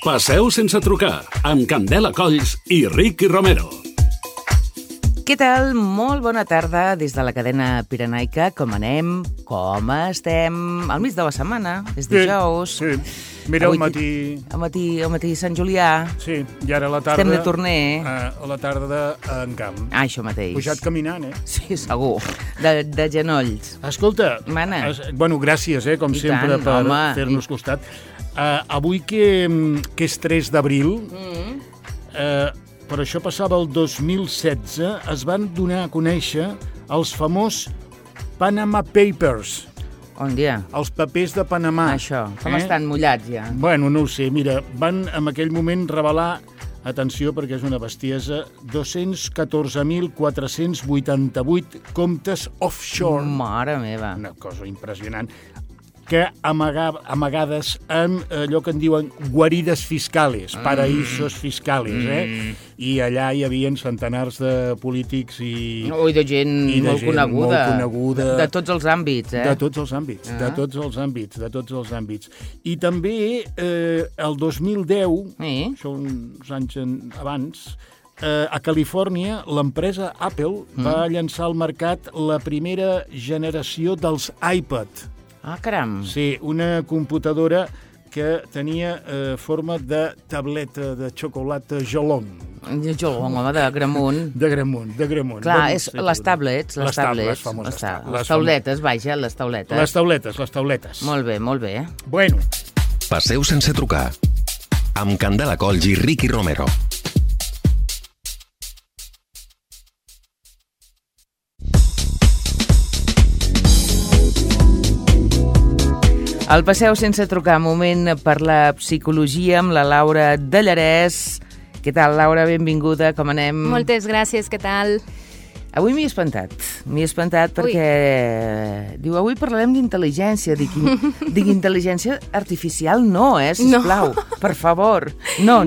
Passeu sense trucar, amb Candela Colls i Ricky Romero. Què tal? Molt bona tarda des de la cadena pirenaica. Com anem? Com estem? Al mig de la setmana, és dijous. Sí. Mira, avui, al matí... Al matí Sant Julià. Sí, i ara a la tarda... Estem de torner. A la tarda en camp. Ah, això mateix. Pujat caminant, Sí, segur. De genolls. Escolta, Mana. Bueno, gràcies, com I sempre, tant, per home. fer-nos costat. Avui que és 3 d'abril, però això passava el 2016, es van donar a conèixer els famós Panama Papers. On dia? Els papers de Panamà. Això, com estan mullats ja? Bueno, no ho sé, mira, van en aquell moment revelar, atenció perquè és una bestiesa, 214.488 comptes offshore. Mare meva. Una cosa impressionant, que amagades en allò que en diuen guarides fiscales, paraïsos fiscales, I allà hi havia centenars de polítics i de gent molt coneguda. De tots els àmbits, De tots els àmbits, de tots els àmbits. I també el 2010, això uns anys abans, a Califòrnia, l'empresa Apple va llançar al mercat la primera generació dels iPad. Ah, caram. Sí, una computadora que tenia forma de tableta de xocolata Jolong. Jolong, home, de Gramunt. De Gramunt. Clar, és les tablets. Les famoses tablets. Les tauletes, vaja, les tauletes. Les tauletes. Molt bé, molt bé. Bueno. Passeu sense trucar. Amb Candela Colls i Ricky Romero. El Passeu sense trucar, moment per la psicologia amb la Laura de Llarès. Què tal, Laura? Benvinguda, com anem? Moltes gràcies, què tal? Avui m'he espantat perquè... Diu, avui parlarem d'intel·ligència. Dic, intel·ligència artificial no, sisplau, per favor. No.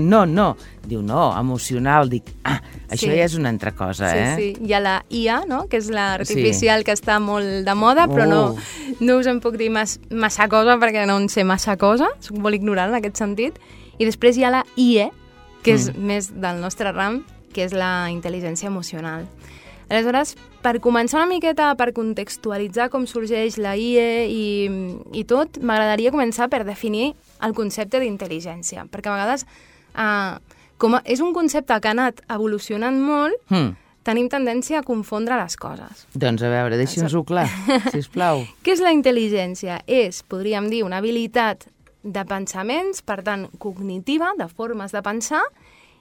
Diu, no, emocional. Dic, això ja és una altra cosa, Sí. Hi ha la IA, no?, que és l'artificial que està molt de moda, però no us en puc dir massa cosa perquè no en sé massa cosa, soc molt ignorant en aquest sentit. I després hi ha la IE, que és més del nostre ram, que és la intel·ligència emocional. Aleshores, per començar una miqueta, per contextualitzar com sorgeix la IE i tot, m'agradaria començar per definir el concepte d'intel·ligència, perquè a vegades, com és un concepte que ha anat evolucionant molt, tenim tendència a confondre les coses. Doncs a veure, deixi'ns-ho clar, sisplau. Què és la intel·ligència? És, podríem dir, una habilitat de pensaments, per tant, cognitiva, de formes de pensar,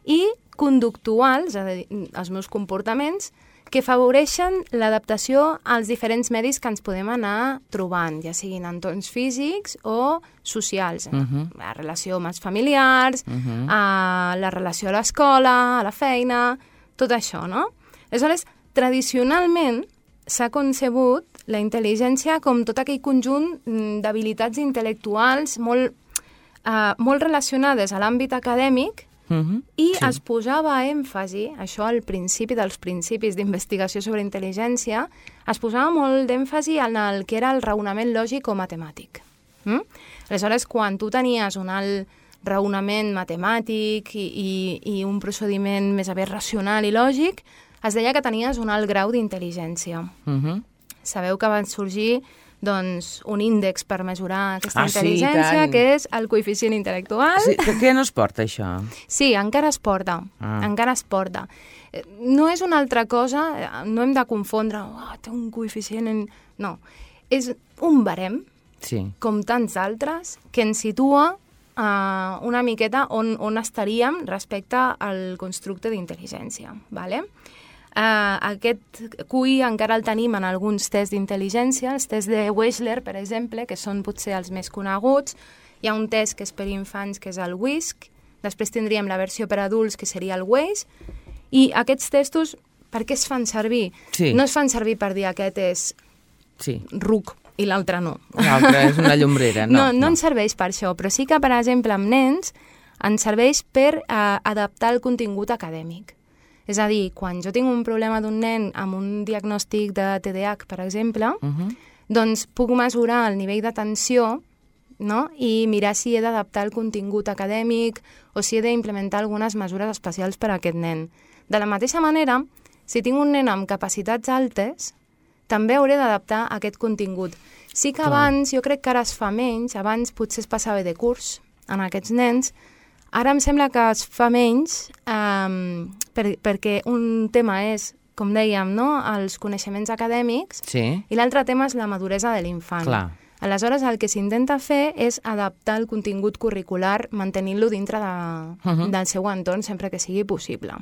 i conductuals, és a dir, els meus comportaments, que afavoreixen l'adaptació als diferents medis que ens podem anar trobant, ja siguin entorns físics o socials. La relació amb els familiars, la relació a l'escola, a la feina, tot això, no? Aleshores, tradicionalment s'ha concebut la intel·ligència com tot aquell conjunt d'habilitats intel·lectuals molt relacionades a l'àmbit acadèmic i es posava èmfasi, això al principi dels principis d'investigació sobre intel·ligència, es posava molt d'èmfasi en el que era el raonament lògic o matemàtic. Aleshores, quan tu tenies un alt raonament matemàtic i un procediment més aviat racional i lògic, es deia que tenies un alt grau d'intel·ligència. Sabeu que van sorgir un índex per mesurar aquesta intel·ligència, que és el coeficient intel·lectual. Sí, què no es porta, això? Sí, encara es porta. Encara es porta. No és una altra cosa, no hem de confondre, té un coeficient... No, és un barem, com tants altres, que ens situa una miqueta on estaríem respecte al constructe d'intel·ligència, d'acord? Aquest QI encara el tenim en alguns tests d'intel·ligència, els tests de Wechsler, per exemple, que són potser els més coneguts. Hi ha un test que és per infants, que és el WISC, després tindríem la versió per adults, que seria el WAIS, i aquests testos, per què es fan servir? No es fan servir per dir aquest és ruc i l'altre no. L'altre és una llombrera, no. No ens serveix per això, però sí que, per exemple, amb nens, ens serveix per adaptar el contingut acadèmic. És a dir, quan jo tinc un problema d'un nen amb un diagnòstic de TDAH, per exemple, doncs puc mesurar el nivell d'atenció no? I mirar si he d'adaptar el contingut acadèmic o si he d'implementar algunes mesures especials per a aquest nen. De la mateixa manera, si tinc un nen amb capacitats altes, també hauré d'adaptar aquest contingut. Sí que abans, jo crec que ara es fa menys, abans potser es passava de curs en aquests nens, ara em sembla que es fa menys perquè un tema és, com dèiem, no? Els coneixements acadèmics i l'altre tema és la maduresa de l'infant. Aleshores, el que s'intenta fer és adaptar el contingut curricular mantenint-lo dintre del seu entorn sempre que sigui possible.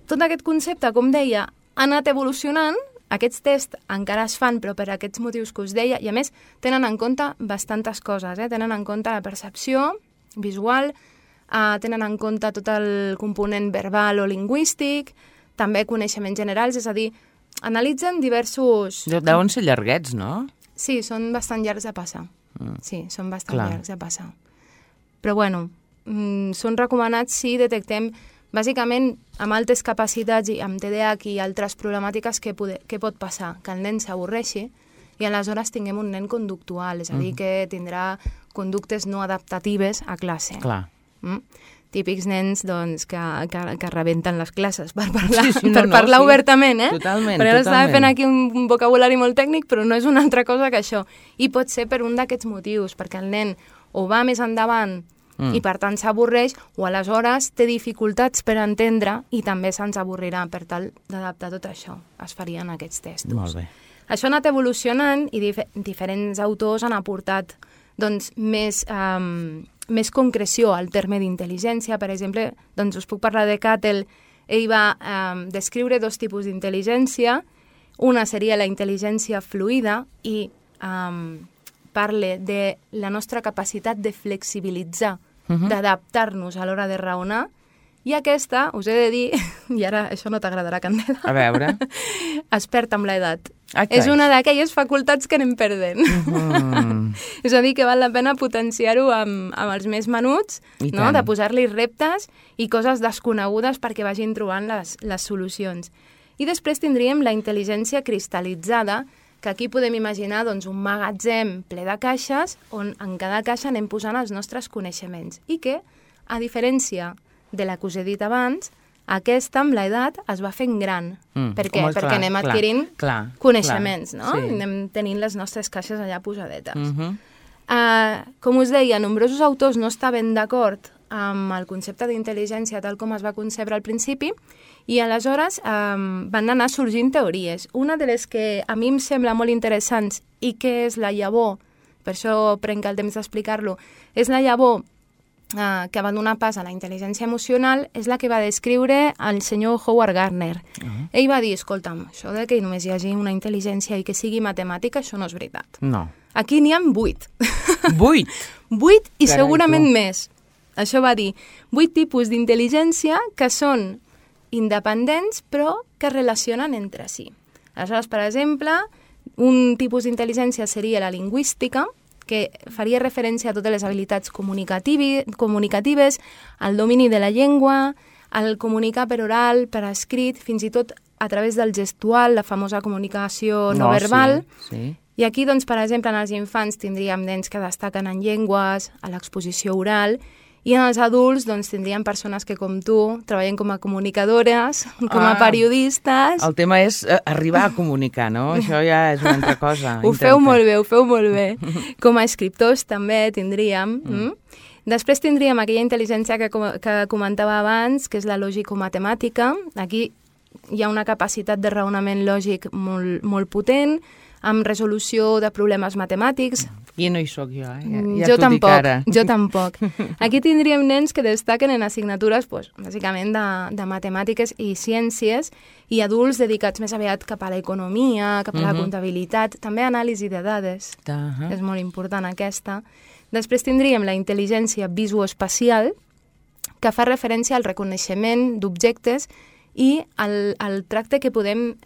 Tot aquest concepte, com deia, ha anat evolucionant. Aquests tests encara es fan, però per aquests motius que us deia, i a més tenen en compte bastantes coses. Tenen en compte la percepció visual, tenen en compte tot el component verbal o lingüístic, també coneixements generals, és a dir, analitzen diversos... Deuen ser llarguets, no? Sí, són bastant llargs de passar. Sí, són bastant llargs de passar. Però bueno, són recomanats si detectem bàsicament amb altes capacitats i amb TDAH i altres problemàtiques que pot passar, que el nen s'avorreixi i aleshores tinguem un nen conductual, és a dir, que tindrà conductes no adaptatives a classe. Clar. Típics nens doncs, que rebenten les classes per parlar obertament, Totalment, Perquè ara estava fent aquí un vocabulari molt tècnic, però no és una altra cosa que això. I pot ser per un d'aquests motius, perquè el nen o va més endavant i per tant s'avorreix, o aleshores té dificultats per entendre i també se'ns avorrirà. Per tal d'adaptar tot això, es farien aquests testos. Molt bé. Això ha anat evolucionant i diferents autors han aportat doncs, més concreció al terme d'intel·ligència. Per exemple, doncs us puc parlar de Cattell. Ell va descriure dos tipus d'intel·ligència. Una seria la intel·ligència fluida i parla de la nostra capacitat de flexibilitzar, d'adaptar-nos a l'hora de raonar, i aquesta, us he de dir, i ara això no t'agradarà, Candela, a veure, es perd amb l'edat. És una d'aquelles facultats que anem perdent. És a dir, que val la pena potenciar-ho amb els més menuts, no? De posar-li reptes i coses desconegudes perquè vagin trobant les solucions. I després tindríem la intel·ligència cristal·litzada, que aquí podem imaginar doncs, un magatzem ple de caixes on en cada caixa anem posant els nostres coneixements i que, a diferència de la que us he dit abans, aquesta amb l'edat es va fent gran. Per què? Perquè anem adquirint coneixements, no? Anem tenint les nostres caixes allà posadetes. Com us deia, nombrosos autors no estaven d'acord amb el concepte d'intel·ligència tal com es va concebre al principi i aleshores van anar sorgint teories. Una de les que a mi em sembla molt interessants i que és la llavor, per això prenc el temps d'explicar-lo, és la llavor que va donar pas a la intel·ligència emocional, és la que va descriure el senyor Howard Gardner. Ell va dir, escolta'm, això de que només hi hagi una intel·ligència i que sigui matemàtica, això no és veritat. No. Aquí n'hi ha 8. 8? 8 i segurament més. Això va dir 8 tipus d'intel·ligència que són independents però que es relacionen entre si. Aleshores, per exemple, un tipus d'intel·ligència seria la lingüística, que faria referència a totes les habilitats comunicatives, al domini de la llengua, al comunicar per oral, per escrit, fins i tot a través del gestual, la famosa comunicació no verbal. Sí. I aquí, doncs, per exemple, en els infants tindríem nens que destaquen en llengües, a l'exposició oral, i en els adults doncs, tindríem persones que, com tu, treballen com a comunicadores, com a periodistes... El tema és arribar a comunicar, no? Això ja és una altra cosa. Ho feu molt bé. Com a escriptors també tindríem... Després tindríem aquella intel·ligència que comentava abans, que és la lògico-matemàtica. Aquí hi ha una capacitat de raonament lògic molt potent, amb resolució de problemes matemàtics. I no hi soc jo, Ja jo tampoc. Aquí tindríem nens que destaquen en assignatures, bàsicament, de matemàtiques i ciències, i adults dedicats més aviat cap a l'economia, cap a la comptabilitat, també anàlisi de dades. És molt important aquesta. Després tindríem la intel·ligència visoespacial, que fa referència al reconeixement d'objectes i el tracte que podem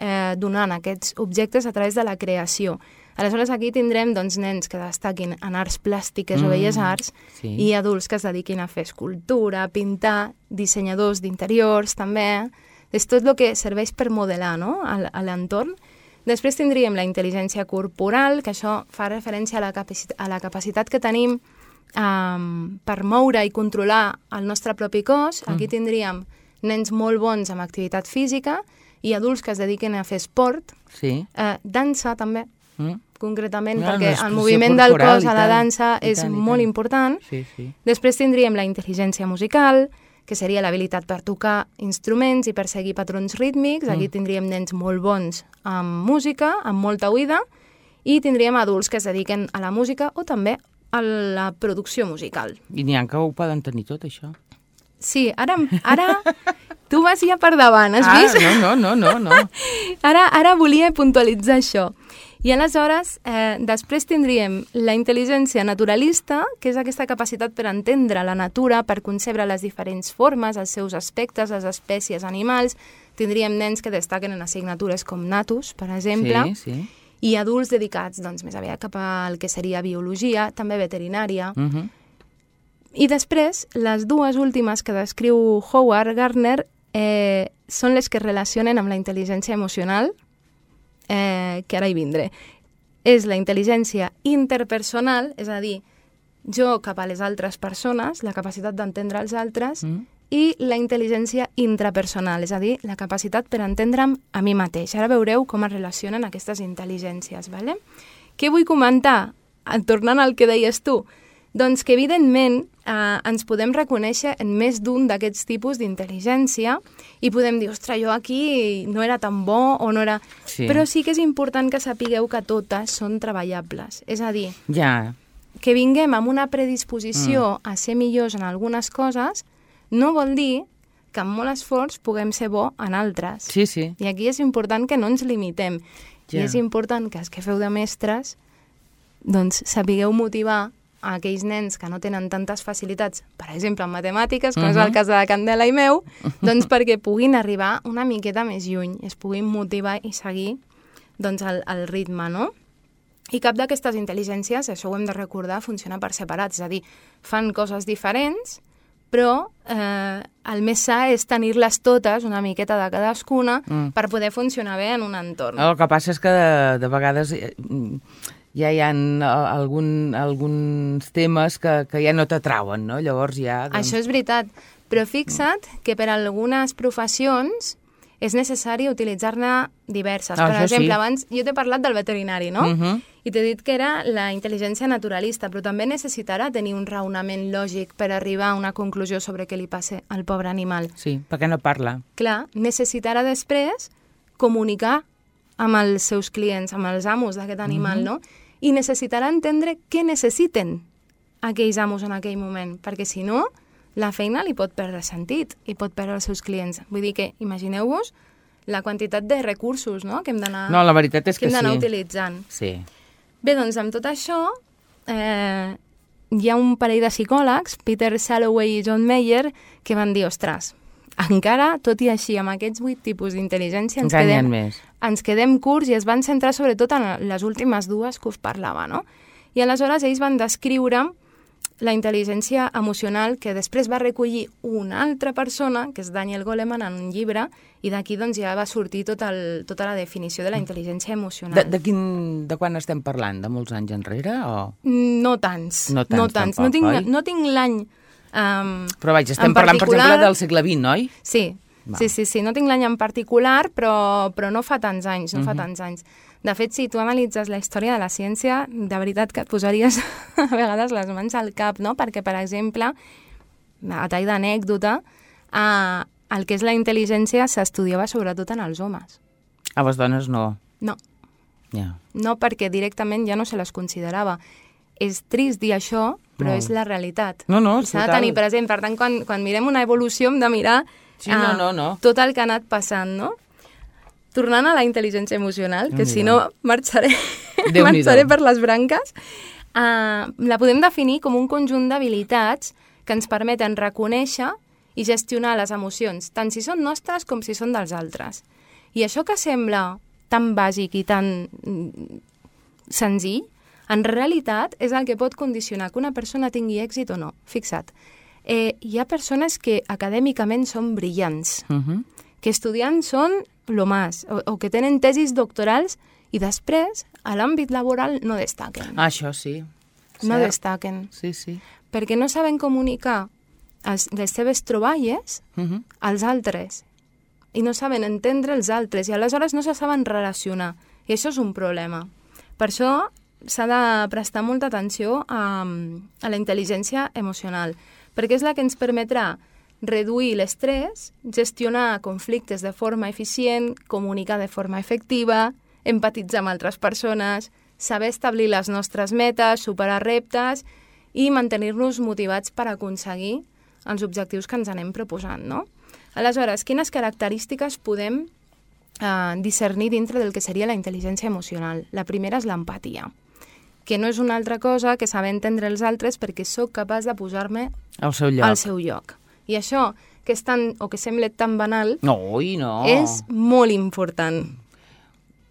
donar a aquests objectes a través de la creació. Aleshores, aquí tindrem doncs, nens que destaquin en arts plàstiques o belles arts i adults que es dediquin a fer escultura, pintar, dissenyadors d'interiors també. És tot el que serveix per modelar, no? A l'entorn. Després tindríem la intel·ligència corporal, que això fa referència a la capacitat que tenim per moure i controlar el nostre propi cos. Aquí tindríem nens molt bons amb activitat física i adults que es dediquen a fer esport, dansa també, concretament, perquè el moviment del cos a la dansa és molt important. Després tindríem la intel·ligència musical, que seria l'habilitat per tocar instruments i per seguir patrons rítmics. Aquí tindríem nens molt bons amb música, amb molta oïda, i tindríem adults que es dediquen a la música o també a la producció musical. I n'hi ha que ho poden tenir tot, això. Sí, ara tu vas ja per davant, has vist? No. Ara volia puntualitzar això. I aleshores, després tindríem la intel·ligència naturalista, que és aquesta capacitat per entendre la natura, per concebre les diferents formes, els seus aspectes, les espècies animals. Tindríem nens que destaquen en assignatures com natus, per exemple, i adults dedicats més aviat cap al que seria biologia, també veterinària. I després, les dues últimes que descriu Howard Gardner són les que es relacionen amb la intel·ligència emocional, que ara hi vindré. És la intel·ligència interpersonal, és a dir, jo cap a les altres persones, la capacitat d'entendre els altres, i la intel·ligència intrapersonal, és a dir, la capacitat per entendre'm a mi mateix. Ara veureu com es relacionen aquestes intel·ligències. ¿Vale? Què vull comentar? Tornant al que deies tu, doncs que evidentment ens podem reconèixer en més d'un d'aquests tipus d'intel·ligència i podem dir, ostres, jo aquí no era tan bo o no era... Però sí que és important que sapigueu que totes són treballables. És a dir, que vinguem amb una predisposició a ser millors en algunes coses no vol dir que amb molt esforç puguem ser bo en altres. I aquí és important que no ens limitem. I és important que els que feu de mestres doncs sapigueu motivar a aquells nens que no tenen tantes facilitats, per exemple, en matemàtiques, com és el cas de la Candela i meu, doncs perquè puguin arribar una miqueta més lluny, es puguin motivar i seguir el ritme, no? I cap d'aquestes intel·ligències, això ho hem de recordar, funciona per separat, és a dir, fan coses diferents, però el més sa és tenir-les totes, una miqueta de cadascuna, per poder funcionar bé en un entorn. El que passa és que de vegades ja hi ha alguns temes que ja no t'atrauen, no? Llavors ja... Això és veritat, però fixa't que per a algunes professions és necessari utilitzar-ne diverses. Per exemple, abans jo t'he parlat del veterinari, no? I t'he dit que era la intel·ligència naturalista, però també necessitarà tenir un raonament lògic per arribar a una conclusió sobre què li passa al pobre animal. Sí, perquè no parla. Clar, necessitarà després comunicar amb els seus clients, amb els amos d'aquest animal, no? I necessitarà entendre què necessiten aquells amos en aquell moment, perquè si no, la feina li pot perdre sentit i pot perdre els seus clients. Vull dir que, imagineu-vos la quantitat de recursos, no?, que hem d'anar la veritat és que utilitzant. Sí. Bé, doncs, amb tot això, hi ha un parell de psicòlegs, Peter Salovey i John Mayer, que van dir, ostres, encara, tot i així, amb aquests 8 tipus d'intel·ligència ens quedem curts, i es van centrar sobretot en les últimes dues que us parlava, no? I aleshores ells van descriure la intel·ligència emocional que després va recollir una altra persona, que és Daniel Goleman, en un llibre, i d'aquí doncs, ja va sortir tota la definició de la intel·ligència emocional. De quan estem parlant? De molts anys enrere? O... No tants. No tants. Tampoc, no tinc l'any però vaja, estem parlant, per exemple, del segle XX, oi? Sí. No tinc l'any en particular, però no fa tants anys, De fet, si tu analitzes la història de la ciència, de veritat que et posaries a vegades les mans al cap, no? Perquè, per exemple, a tall d'anècdota, el que és la intel·ligència s'estudiava sobretot en els homes. A les dones no? No. No, perquè directament ja no se les considerava. És trist dir això, però és la realitat. S'ha de tenir present. Per tant, quan mirem una evolució hem de mirar tot el que ha anat passant, no? Tornant a la intel·ligència emocional, que si no marxaré per les branques, la podem definir com un conjunt d'habilitats que ens permeten reconèixer i gestionar les emocions, tant si són nostres com si són dels altres. I això que sembla tan bàsic i tan senzill, en realitat és el que pot condicionar que una persona tingui èxit o no. Fixa't, hi ha persones que acadèmicament són brillants, que estudiant són lo más, o que tenen tesis doctorals i després, a l'àmbit laboral, no destaquen. Això sí. No destaquen. Sí, sí. Perquè no saben comunicar les seves troballes als altres i no saben entendre els altres i aleshores no se saben relacionar. I això és un problema. Per això s'ha de prestar molta atenció a la intel·ligència emocional, perquè és la que ens permetrà reduir l'estrès, gestionar conflictes de forma eficient, comunicar de forma efectiva, empatitzar amb altres persones, saber establir les nostres metes, superar reptes i mantenir-nos motivats per aconseguir els objectius que ens anem proposant, no? Aleshores, quines característiques podem discernir dintre del que seria la intel·ligència emocional? La primera és l'empatia, que no és una altra cosa que saber entendre els altres perquè sóc capaç de posar-me al seu lloc. I això, que és tan, o que sembla tan banal, no. És molt important.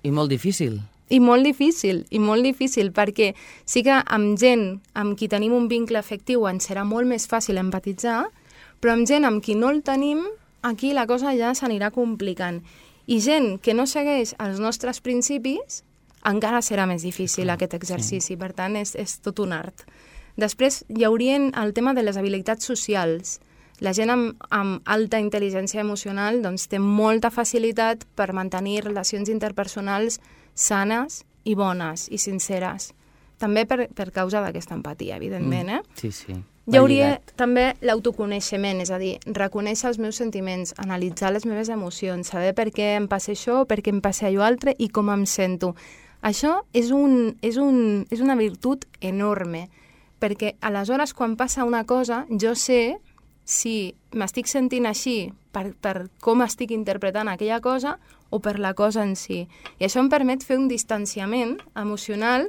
I molt difícil. I molt difícil, perquè sí que amb gent amb qui tenim un vincle afectiu ens serà molt més fàcil empatitzar, però amb gent amb qui no el tenim, aquí la cosa ja s'anirà complicant. I gent que no segueix els nostres principis, encara serà més difícil aquest exercici. Per tant, és tot un art. Després hi hauria el tema de les habilitats socials. La gent amb alta intel·ligència emocional doncs, té molta facilitat per mantenir relacions interpersonals sanes i bones i sinceres. També per causa d'aquesta empatia, evidentment. Sí, sí. Hi hauria també l'autoconeixement, és a dir, reconèixer els meus sentiments, analitzar les meves emocions, saber per què em passa això, per què em passa allò altre i com em sento. Això és una virtut enorme, perquè aleshores quan passa una cosa jo sé si m'estic sentint així per com estic interpretant aquella cosa o per la cosa en si. I això em permet fer un distanciament emocional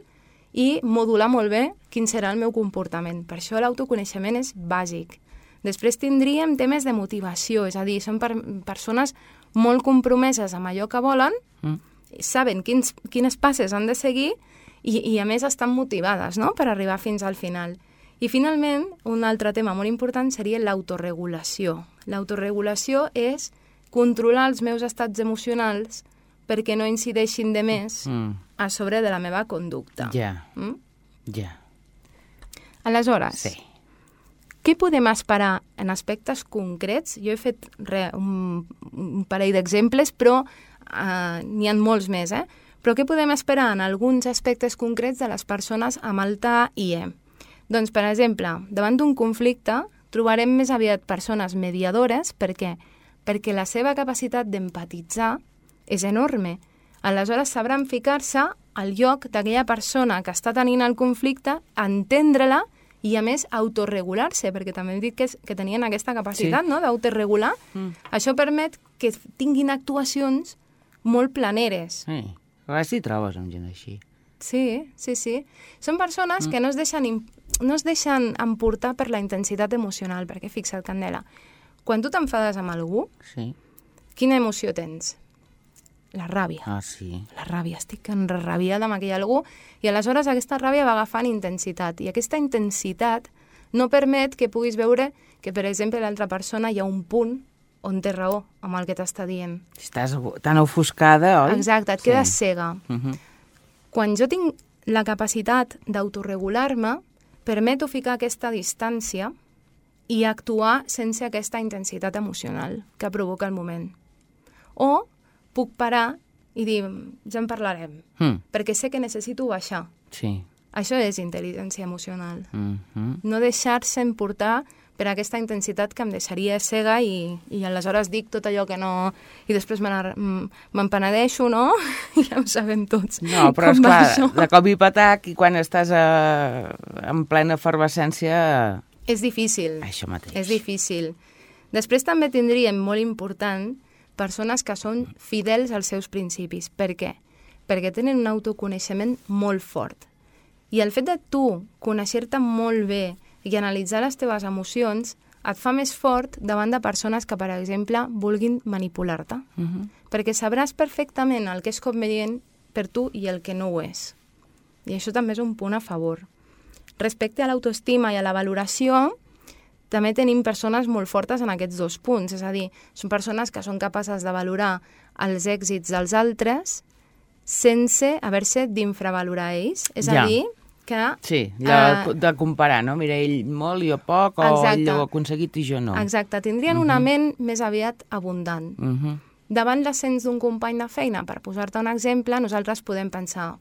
i modular molt bé quin serà el meu comportament. Per això l'autoconeixement és bàsic. Després tindríem temes de motivació, és a dir, són persones molt compromeses amb allò que volen, saben quines passes han de seguir i a més estan motivades, no?, per arribar fins al final. I finalment, un altre tema molt important seria l'autoregulació. L'autoregulació és controlar els meus estats emocionals perquè no incideixin de més a sobre de la meva conducta. Ja. Aleshores, què podem esperar en aspectes concrets? Jo he fet un parell d'exemples, però n'hi ha molts més, Però què podem esperar en alguns aspectes concrets de les persones amb alta IE? Doncs, per exemple, davant d'un conflicte trobarem més aviat persones mediadores. Per què? Perquè la seva capacitat d'empatitzar és enorme. Aleshores sabran ficar-se al lloc d'aquella persona que està tenint el conflicte, entendre-la i, a més, autoregular-se, perquè també hem dit que tenien aquesta capacitat, no?, d'autoregular. Això permet que tinguin actuacions molt planeres. A vegades t'hi trobes amb gent així. Sí. Són persones que no es deixen emportar per la intensitat emocional, perquè fixa't, Candela, quan tu t'enfades amb algú, quina emoció tens? La ràbia. Ah, sí. La ràbia, estic enrabiada amb aquell algú, i aleshores aquesta ràbia va agafant intensitat, i aquesta intensitat no permet que puguis veure que, per exemple, l'altra persona hi ha un punt on té raó amb el que t'està dient. Estàs tan ofuscada, oi? Exacte, et quedes cega. Quan jo tinc la capacitat d'autoregular-me, permeto ficar aquesta distància i actuar sense aquesta intensitat emocional que provoca el moment. O puc parar i dir, ja en parlarem, perquè sé que necessito baixar. Sí. Això és intel·ligència emocional. No deixar-se emportar per aquesta intensitat que em deixaria cega i aleshores dic tot allò que no... I després me'n penedeixo, no? Ja ho sabem tots. No, però esclar, de cop i patac, i quan estàs en plena efervescència... És difícil. Això mateix. És difícil. Després també tindríem, molt important, persones que són fidels als seus principis. Per què? Perquè tenen un autoconeixement molt fort. I el fet de tu conèixer-te molt bé i analitzar les teves emocions et fa més fort davant de persones que, per exemple, vulguin manipular-te. Perquè sabràs perfectament el que és convenient per tu i el que no ho és. I això també és un punt a favor. Respecte a l'autoestima i a la valoració, també tenim persones molt fortes en aquests dos punts. És a dir, són persones que són capaces de valorar els èxits dels altres sense haver-se d'infravalorar ells. És a dir, que... Sí, de comparar, no? Mira, ell molt, jo poc, o ell ho ha aconseguit i jo no. Exacte, tindrien una ment més aviat abundant. Davant l'ascens d'un company de feina, per posar-te un exemple, nosaltres podem pensar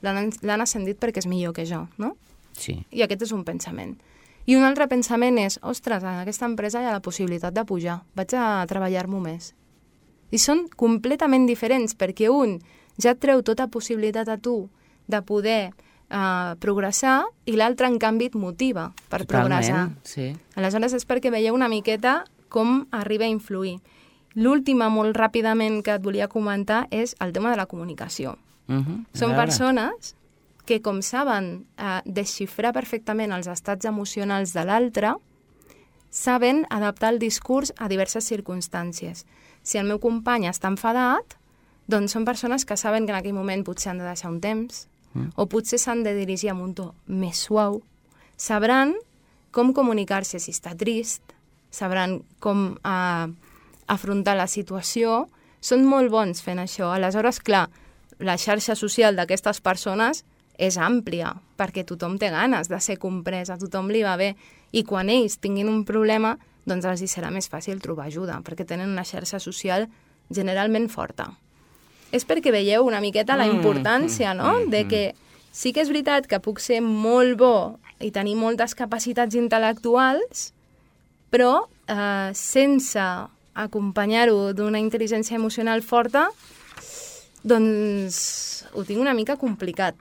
l'han ascendit perquè és millor que jo, no? Sí. I aquest és un pensament. I un altre pensament és, ostres, en aquesta empresa hi ha la possibilitat de pujar, vaig a treballar-m'ho més. I són completament diferents, perquè un ja et treu tota possibilitat a tu de poder progressar i l'altre, en canvi, et motiva per progressar. Sí. Aleshores, és perquè veieu una miqueta com arriba a influir. L'última, molt ràpidament, que et volia comentar és el tema de la comunicació. Són persones que, com saben desxifrar perfectament els estats emocionals de l'altre, saben adaptar el discurs a diverses circumstàncies. Si el meu company està enfadat, doncs són persones que saben que en aquell moment potser han de deixar un temps, o potser s'han de dirigir amb un to més suau. Sabran com comunicar-se si està trist, sabran com afrontar la situació. Són molt bons fent això. Aleshores, clar, la xarxa social d'aquestes persones és àmplia, perquè tothom té ganes de ser comprès, a tothom li va bé. I quan ells tinguin un problema, doncs els hi serà més fàcil trobar ajuda, perquè tenen una xarxa social generalment forta. És perquè veieu una miqueta la importància, no?, de que sí que és veritat que puc ser molt bo i tenir moltes capacitats intel·lectuals, però sense acompanyar-ho d'una intel·ligència emocional forta, doncs ho tinc una mica complicat.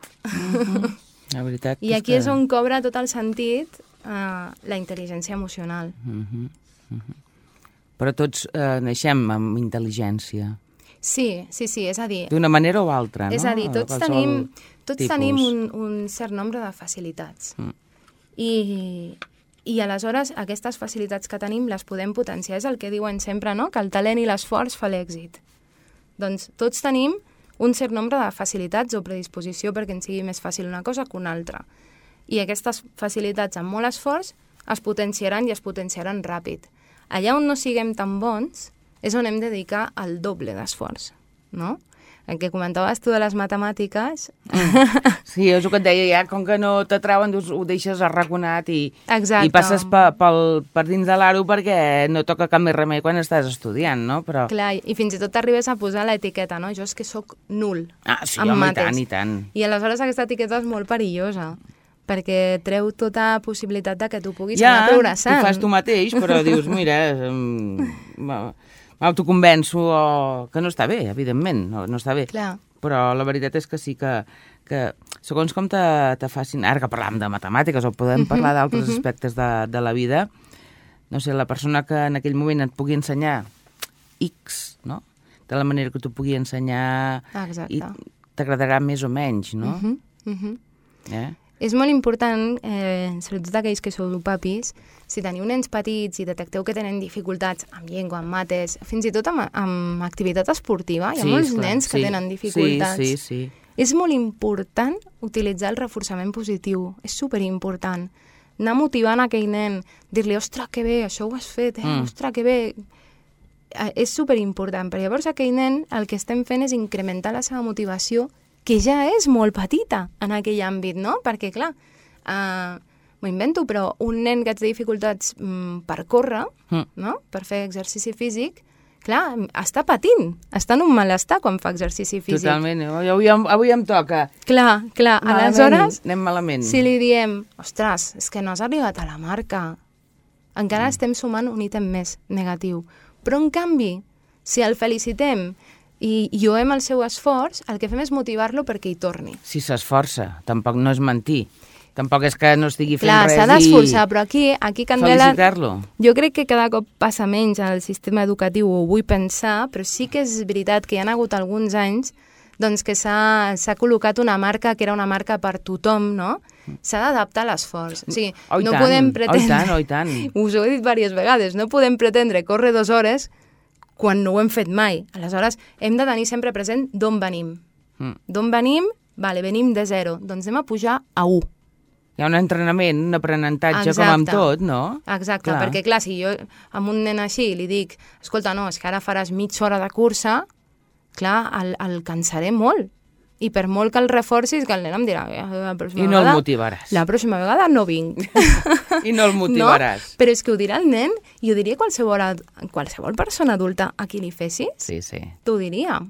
La veritat I aquí és on cobra tot el sentit la intel·ligència emocional. Però tots naixem amb intel·ligència. Sí, és a dir... D'una manera o altra, no? És a dir, tots tenim un cert nombre de facilitats. I aleshores aquestes facilitats que tenim les podem potenciar. És el que diuen sempre, no?, que el talent i l'esforç fa l'èxit. Doncs tots tenim un cert nombre de facilitats o predisposició perquè ens sigui més fàcil una cosa que una altra. I aquestes facilitats amb molt esforç es potenciaran i es potenciaran ràpid. Allà on no siguem tan bons és on hem de dedicar el doble d'esforç, no? El que comentaves tu de les matemàtiques... Sí, és el que et deia, ja, com que no t'atrauen, ho deixes arraconat i passes per dins de l'aro perquè no toca cap més remei quan estàs estudiant, no? Però... Clar, i fins i tot t'arribes a posar l'etiqueta, no? Jo és que sóc nul. Sí, home, i tant. I aleshores aquesta etiqueta és molt perillosa, perquè treu tota possibilitat de que tu puguis anar progressant. Ja, ho fas tu mateix, però dius, mira... m'autoconvenço que no està bé, evidentment, no està bé. Clar. Però la veritat és que sí que segons com te facin... Ara que parlàvem de matemàtiques o podem parlar d'altres aspectes de la vida, no sé, la persona que en aquell moment et pugui ensenyar X, no?, de la manera que t'ho pugui ensenyar... Exacte. I t'agradarà més o menys, no? És molt important, sobretot aquells que sou papis, si teniu nens petits i detecteu que tenen dificultats amb llengua, amb mates, fins i tot amb activitat esportiva, hi ha molts nens que tenen dificultats. Sí. És molt important utilitzar el reforçament positiu, és superimportant. Anar motivant aquell nen, dir-li, ostres, que bé, això ho has fet, ostres, que bé... És superimportant, perquè llavors aquell nen el que estem fent és incrementar la seva motivació, que ja és molt petita en aquell àmbit, no? Perquè, clar, m'ho invento, però un nen que té dificultats per córrer, no?, per fer exercici físic, clar, està patint, està en un malestar quan fa exercici físic. Totalment, avui em toca. Clar, aleshores, anem malament. Si li diem, ostres, és que no has arribat a la marca, encara estem sumant un ítem més negatiu. Però, en canvi, si el felicitem i lloem el seu esforç, el que fem és motivar-lo perquè hi torni. Si s'esforça, tampoc no és mentir. Tampoc és que no estigui fent res s'ha d'esforçar, però aquí Candela... Felicitar-lo. Jo crec que cada cop passa menys al sistema educatiu, ho vull pensar, però sí que és veritat que hi ha hagut alguns anys doncs, que s'ha col·locat una marca que era una marca per tothom, no? S'ha d'adaptar l'esforç. O sigui, no podem pretendre... I tant. Us ho he dit diverses vegades, no podem pretendre córrer 2 hores quan no ho hem fet mai. Aleshores, hem de tenir sempre present d'on venim. D'on venim? Vale, venim de 0. Doncs anem a pujar a 1. Hi ha un entrenament, un aprenentatge com amb tot, no? Exacte, perquè clar, si jo amb un nen així li dic, escolta, no, és que ara faràs mitja hora de cursa, clar, el cansaré molt. I per molt que el reforcis, que el nen em dirà... I no el motivaràs. La pròxima vegada no vinc. I no el motivaràs. No? Però és que ho dirà el nen i ho diria qualsevol persona adulta a qui li fessis. Sí, sí. T'ho diria.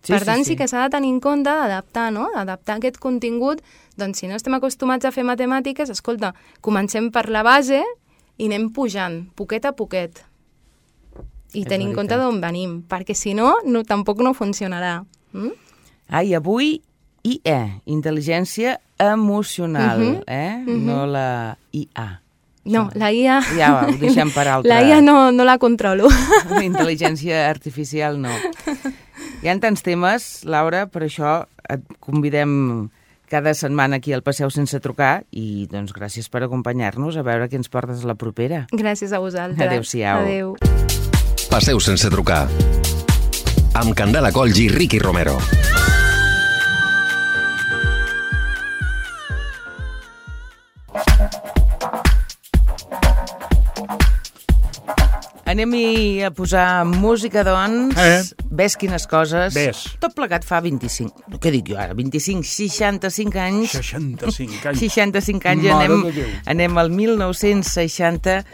Per tant, sí que s'ha de tenir en compte d'adaptar, no? Adaptar aquest contingut. Doncs si no estem acostumats a fer matemàtiques, escolta, comencem per la base i anem pujant, poquet a poquet. I tenir en compte d'on venim, perquè si no, tampoc no funcionarà. I avui IE, intel·ligència emocional, no la IA. No, la IA... Ja ho deixem per altra. La IA no la controlo. La intel·ligència artificial no. Hi ha tants temes, Laura, per això et convidem cada setmana aquí al Passeu sense trucar i doncs gràcies per acompanyar-nos, a veure què ens portes la propera. Gràcies a vosaltres. Adéu-siau. Adéu. Passeu sense trucar. Amb Candela Colls i Ricky Romero. Anem-hi a posar música, doncs. Ves quines coses. Ves. Tot plegat fa 25... Què dic jo ara? 25, 65 anys. 65 anys. 65 anys. Anem al 1960.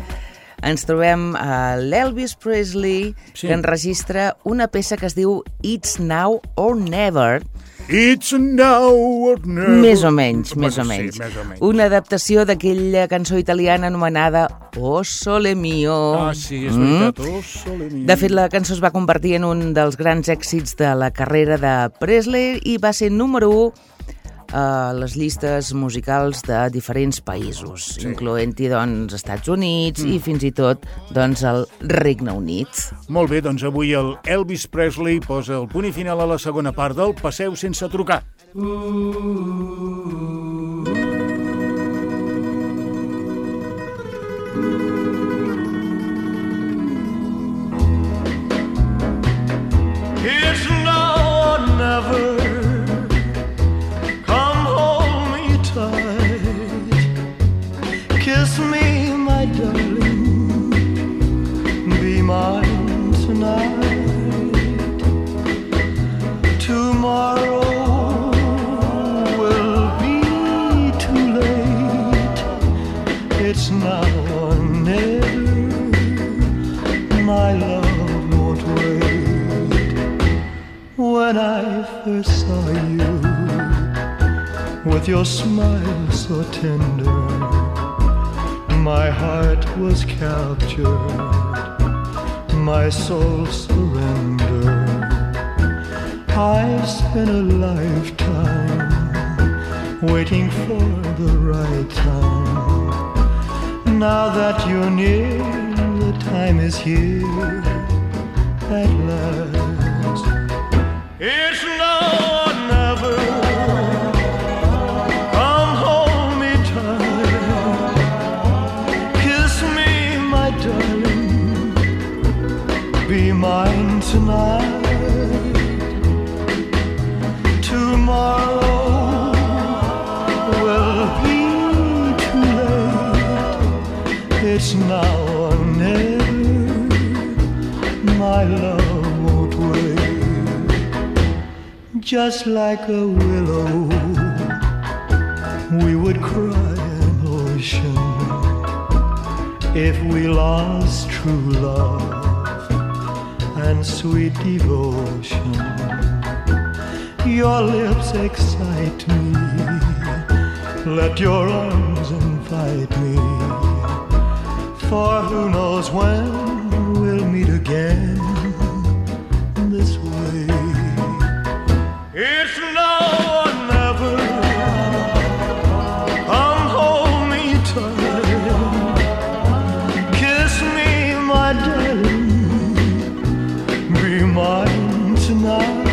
Ens trobem a l'Elvis Presley, que enregistra una peça que es diu It's Now or Never. It's now or never. Més o menys. Una adaptació d'aquella cançó italiana anomenada O Sole Mio. Ah, sí, és veritat, O Sole Mio. De fet, la cançó es va convertir en un dels grans èxits de la carrera de Presley i va ser número 1 a les llistes musicals de diferents països, incloent-hi, doncs, Estats Units i fins i tot, doncs, el Regne Unit. Molt bé, doncs avui el Elvis Presley posa el punt i final a la segona part del Passeu sense trucar. It's now or never. Kiss me, my darling, be mine tonight. Tomorrow will be too late. It's now or never. My love won't wait. When I first saw you, with your smile so tender, my heart was captured, my soul surrendered. I've spent a lifetime waiting for the right time. Now that you're near, the time is here at last. It's now or never. Be mine tonight. Tomorrow will be too late. It's now or never. My love won't wait. Just like a willow, we would cry an ocean if we lost true love and sweet devotion. Your lips excite me, let your arms invite me, for who knows when we'll meet again this way. It's now or never. Come hold me tight, kiss me, my darling, be mine tonight.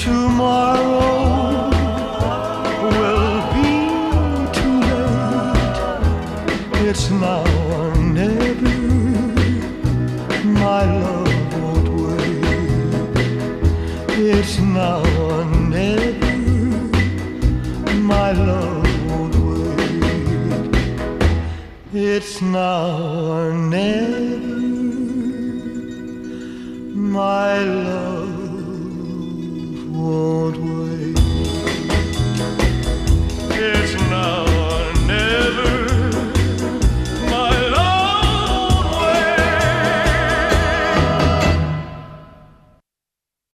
Tomorrow will be too late. It's now or never. My love won't wait. It's now or never. My love won't wait. It's now or never.